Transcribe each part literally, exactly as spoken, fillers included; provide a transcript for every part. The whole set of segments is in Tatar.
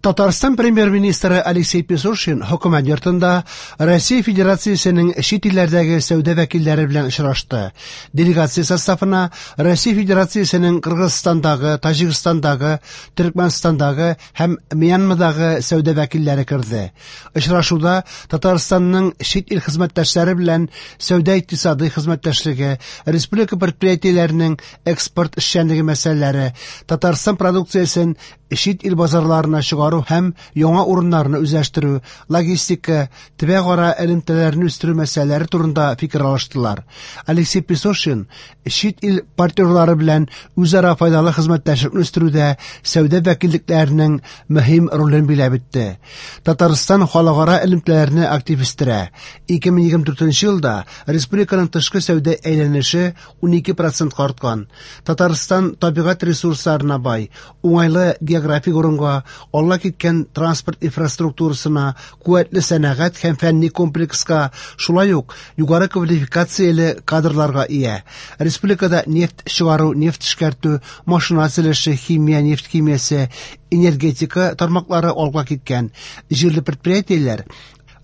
Татарстан премьер-министры Алексей Песошин хөкүмәт йортында Россия Федерациясенең чит илләрдәге сәүдә вәкилләре белән очрашты. Делегация составына Россия Федерациясенең Кыргызстандагы, Таҗикстандагы, Төркмәнстандагы һәм Мьянмадагы сәүдә вәкилләре керде. Очрашуда Татарстанның чит ил хезмәттәшләре белән сәүдә-икътисадый хезмәттәшлеге, республика предприятиеләренең экспорт эшчәнлеге мәсьәләләре, Татарстан продукциясен чит ил базарларына чыгару һәм яңа урыннарны үзләштерү, логистика, төбәкара элемтәләрне үстерү мәсьәләләре турында фикер алыштылар. Алексей Песошин чит ил партнерлары белән үзара файдалы хезмәттәшлекне үстерүдә сәүдә вәкиллекләренең мөһим ролен биләп үтте. Татарстан халыкара элемтәләрне актив үстерә. ике мең егерме дүртенче елда республиканың тышкы сәүдә әйләнеше унике процентка арткан. Татарстан табигать ресурсларына бай, уңайлы географик урынга, алга киткән транспорт инфраструктурасына, куәтле сәнәгать һәм фәнни комплекска, шулай ук югары квалификацияле кадрларга ия. Республикада нефть чыгару, нефть эшкәртү, машина төзелеше, химия, нефть химиясе, энергетика тармаклары алга киткән. Җирле предприятиеләр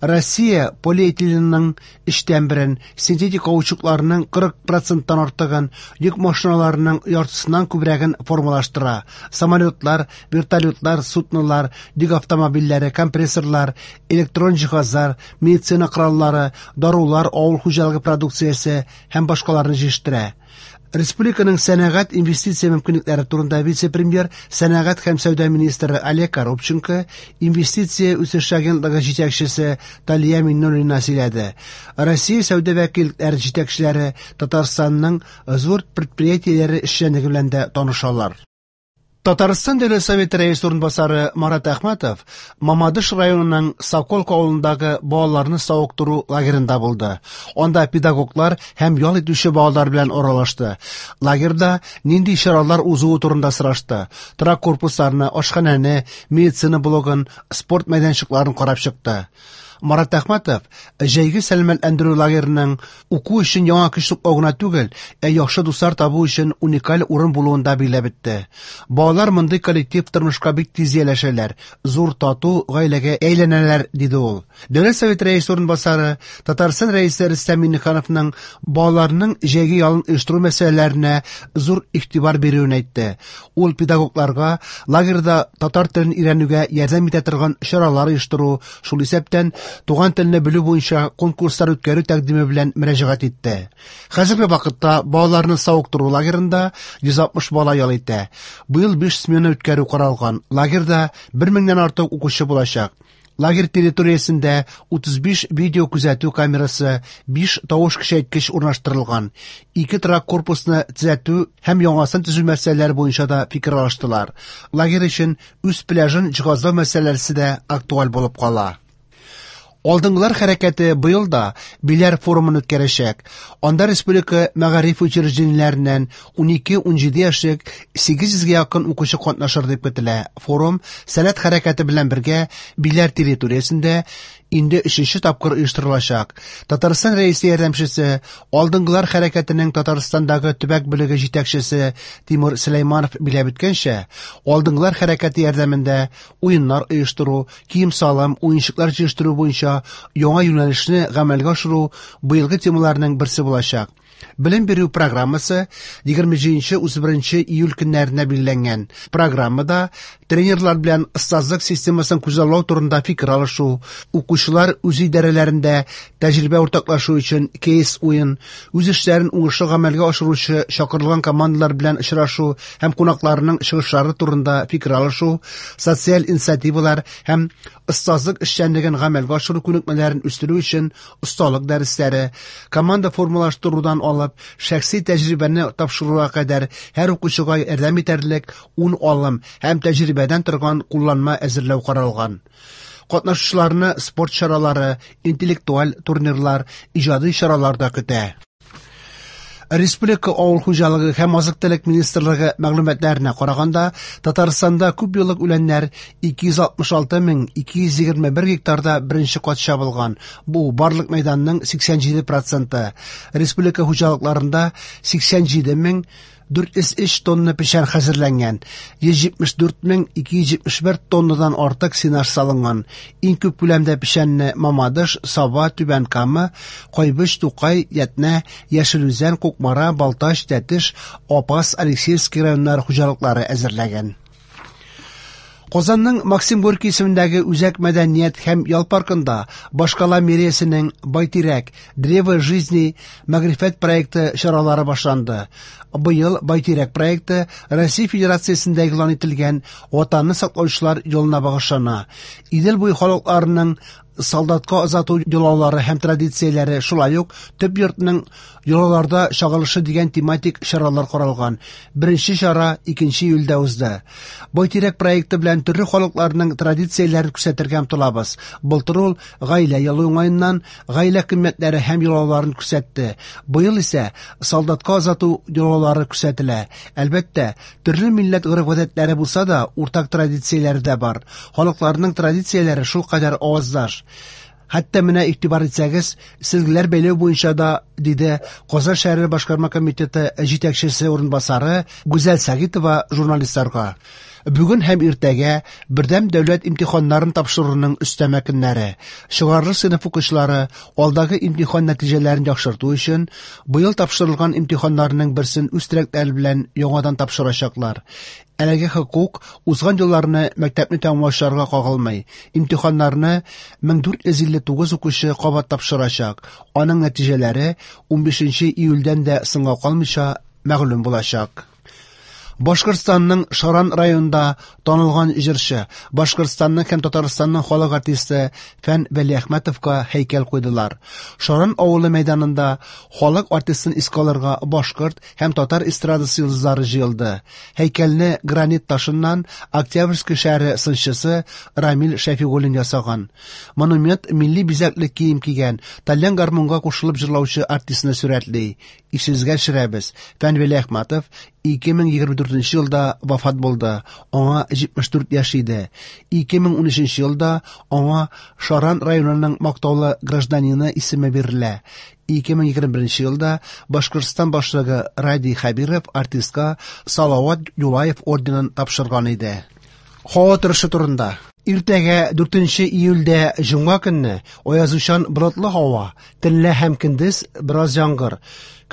Россия полиэтиленның өчтән берен, синтетик каучукларның кырык проценттан артыгын, йөк машиналарының яртысыннан күбрәген формалаштыра. Самолетлар, вертолетлар, суднолар, йөк автомобильләре, компрессорлар, электрон җиһазлар, медицина кораллары, дарулар, авыл хуҗалыгы продукциясе һәм башкаларны җитештерә. Республиканың сәнәгать инвестиция мөмкинлекләре турында вице-премьер, сәнәгать һәм сәүдә министры Олег Коробченко, инвестиция үсеше агентлыгы җитәкчесе Талия Миннуллина сөйләде. Россия сәүдә вәкиллекләре җитәкчеләре Татарстанның зур предприятиеләре эшчәнлеге белән дә танышалар. Татарстан Дәүләт Советы рәисе урынбасары Марат Әхмәтов Мамадыш районының Соколка авылындагы балаларны савыктыру лагерында булды. Анда педагоглар һәм ял итүче балалар белән аралашты. Лагерьда нинди чаралар узуы турында сорашты. Торак корпусларны, ашханәне, медицина блогын, спорт мәйданчыкларын карап чыкты. Марат Әхмәтов җәйге сәламәтләндерү лагерының уку өчен яңа көч туплау гына түгел, ә яхшы дуслар табу өчен уникаль урын булуын да билгеләп үтте. Балалар мондый коллектив тормышка бик тиз ияләшәләр, зур тату гаиләгә әйләнәләр, диде ул. Дәүләт Советы рәисе урынбасары Татарстан рәисе Рөстәм Миңнехановның балаларның җәйге ялын оештыру мәсьәләләренә зур игътибар бирүен әйтте. Ул педагогларга лагерьда татар телен өйрәнүгә ярдәм итә торган чаралар оештыру, шул исәптән туган телне белү буенча конкурслар үткәрү тәкъдиме белән мөрәҗәгать итте. Хәзерге вакытта балаларны савыктыру лагерында йөз алтмыш бала ял итә. Быел биш смена үткәрү каралган. Лагерьда бер меңнән артык укучы булачак. Лагерь территориясендә утыз биш видео күзәтү камерасы, биш тавыш көчәйткеч урнаштырылган. Ике торак корпусны төзәтү һәм яңасын төзү мәсьәләләре буенча да фикер алыштылар. Лагерь өчен үз пляжын җиһазлау мәсьәләсе дә актуаль булып кала. Алдынгылар хәрәкәте быел да Биләр форумын үткәрәчәк. Анда республика мәгариф учреждениеләреннән унике-унҗиде яшьлек сигез йөзгә якын укучы катнашыр дип көтелә. Форум Сәләт хәрәкәте белән бергә Биләр территориясендә инде өченче тапкыр оештырылачак. Татарстан рәисе ярдәмчесе, Алдынгылар хәрәкәтенең Татарстандагы төбәк бүлеге җитәкчесе Тимур Сөләйманов биләп үткәнчә, Алдынгылар хәрәкәте ярдәмендә уеннар оештыру, кием-салым, уенчыклар җыештыру буенча яңа юнәлешне гамәлгә ашыру быелгы темаларның берсе булачак. Белем бирү программасы егерме җиденче утыз беренче июль көннәренә билгеләнгән. Программада тренерлар белән остазлык системасын күзаллау турында фикер алышу, укучылар үз идарәләрендә тәҗрибә уртаклашу өчен кейс уен, үз эшләрен уңышлы гамәлгә ашыручы чакырылган командалар белән очрашу һәм кунакларның чыгышлары турында фикер алышу, социаль инициативалар һәм остазлык эшчәнлеген гамәлгә ашыру күнекмәләрен үстерү өчен осталык дәресләре, команда формалаштырудан алып шәхси тәҗрибәне тапшыруга кадәр һәр укучыга ярдәм итәрлек ун алым һәм тәҗрибәдән торган кулланма әзерләү каралган. Катнашучыларны спорт чаралары, интеллектуаль турнирлар, иҗади чаралар да көтә. Республика авыл хуҗалыгы һәм азык-төлек министрлыгы мәгълүматларына караганда, Татарстанда күп еллык үләннәр ике йөз алтмыш алты мең ике йөз егерме бер гектарда беренче кат чабылган. Бу барлык мәйданның сиксән җиде проценты. Республика хуҗалыкларында сиксән җиде мең дүрт йөз өч тонна печән хәзерләнгән, йөз җитмеш дүрт мең ике йөз җитмеш бер тоннадан артык сенаж салынган. Иң күп күләмдә печәнне Мамадыш, Саба, Түбән Кама, Кайбыч, Тукай, Ятнә, Яшел Үзән, Кукмара, Балтач, Тәтеш, Апас, Алексеевский районнары хуҗалыклары әзерләгән. Казанның Максим Горький исемендәге Үзәк мәдәният һәм ял паркында башкала мэриясенең Байтирәк Древо жизни мәгърифәт проекты чаралары башланды. Быел Байтирәк проекты Россия Федерациясендә игълан ителгән Ватанны саклаучылар елына багышлана. Идел буе халыкларының солдатка озату йолалары һәм традицияләре, шулай ук төп йортның йолаларда чагылышы дигән тематик чаралар каралган. Беренче чара икенче июльдә узды. Байтирәк проекты белән төрле халыкларның традицияләрен күрсәтергә омтылабыз. Былтыр ул гаилә елы уңаеннан гаилә кыйммәтләре һәм йолаларын күрсәтте. Быел исә солдатка озату йолалары күрсәтелә. Әлбәттә, төрле милләт гореф-гадәтләре булса да, уртак традицияләре дә бар. Халыкларның традицияләре шулкадәр аваздаш. Хәтта менә игътибар итсәгез, сизгеләр бәйләү буенча да, диде Казан шәһәре башкарма комитеты җитәкчесе урынбасары Гүзәл Сәгитова журналистларга. Бүген һәм иртәгә бердәм дәүләт имтиханнарын тапшыруның өстәмә көннәре. Чыгарылыш сыйныф укучылары алдагы имтихан нәтиҗәләрен яхшырту өчен быел тапшырылган имтиханнарның берсен үз теләкләре белән яңадан тапшырачаклар. Әлеге хокук узган елларны мәктәпне тәмамлаучыларга кагылмый. Имтиханнарны мең дүрт йөз илле тугыз укучы кабат тапшырачак. Аның нәтиҗәләре унбишенче июльдән дә соңга калмыйча мәгълүм булачак. Башкортстанның Шаран районында танылган җырчы, Башкортстанның һәм Татарстанның халык артисты Фән Вәлиәхмәтовка һәйкәл куйдылар. Шаран авылы мәйданында халык артистын искә алырга башкорт һәм татар эстрадасы йолдызлары җыелды. Һәйкәлне гранит ташыннан Октябрьский шәһәре сынчысы Рамил Шәфигуллин ясаган. Монумент милли бизәкле кием кигән, тальян гармунга кушылып җырлаучы артистны сурәтли. Исегезгә төшерәбез, Фән Вәлиәхмәтов ике мең егерме дүртенче елда вафат булды. Аңа җитмеш дүрт яшь иде. Ике мең унөченче елда аңа Шаран районының мактаулы гражданины исеме бирелә. Ике мең егерме беренче елда Башкортстан башлыгы Радий Хәбиров артистка Салават Юлаев орденын тапшырган иде. Һава торышы турында. Иртәгә дүртенче июльдә җомга көнне аязучан болытлы һава, төнлә һәм көндез бераз яңгыр.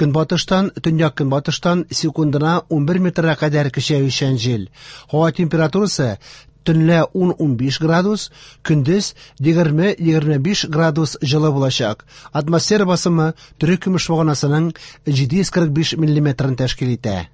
Көнбатыштан, төньяк көнбатыштан секундына унбер метрга кадәр көчәючән җил. Һава температурасы төнлә ун-унбиш градус, көндез егерме-егерме биш градус җылы булачак. Атмосфера басымы төрек көмеш баганасының җиде йөз кырык биш миллиметрын тәшкил итә.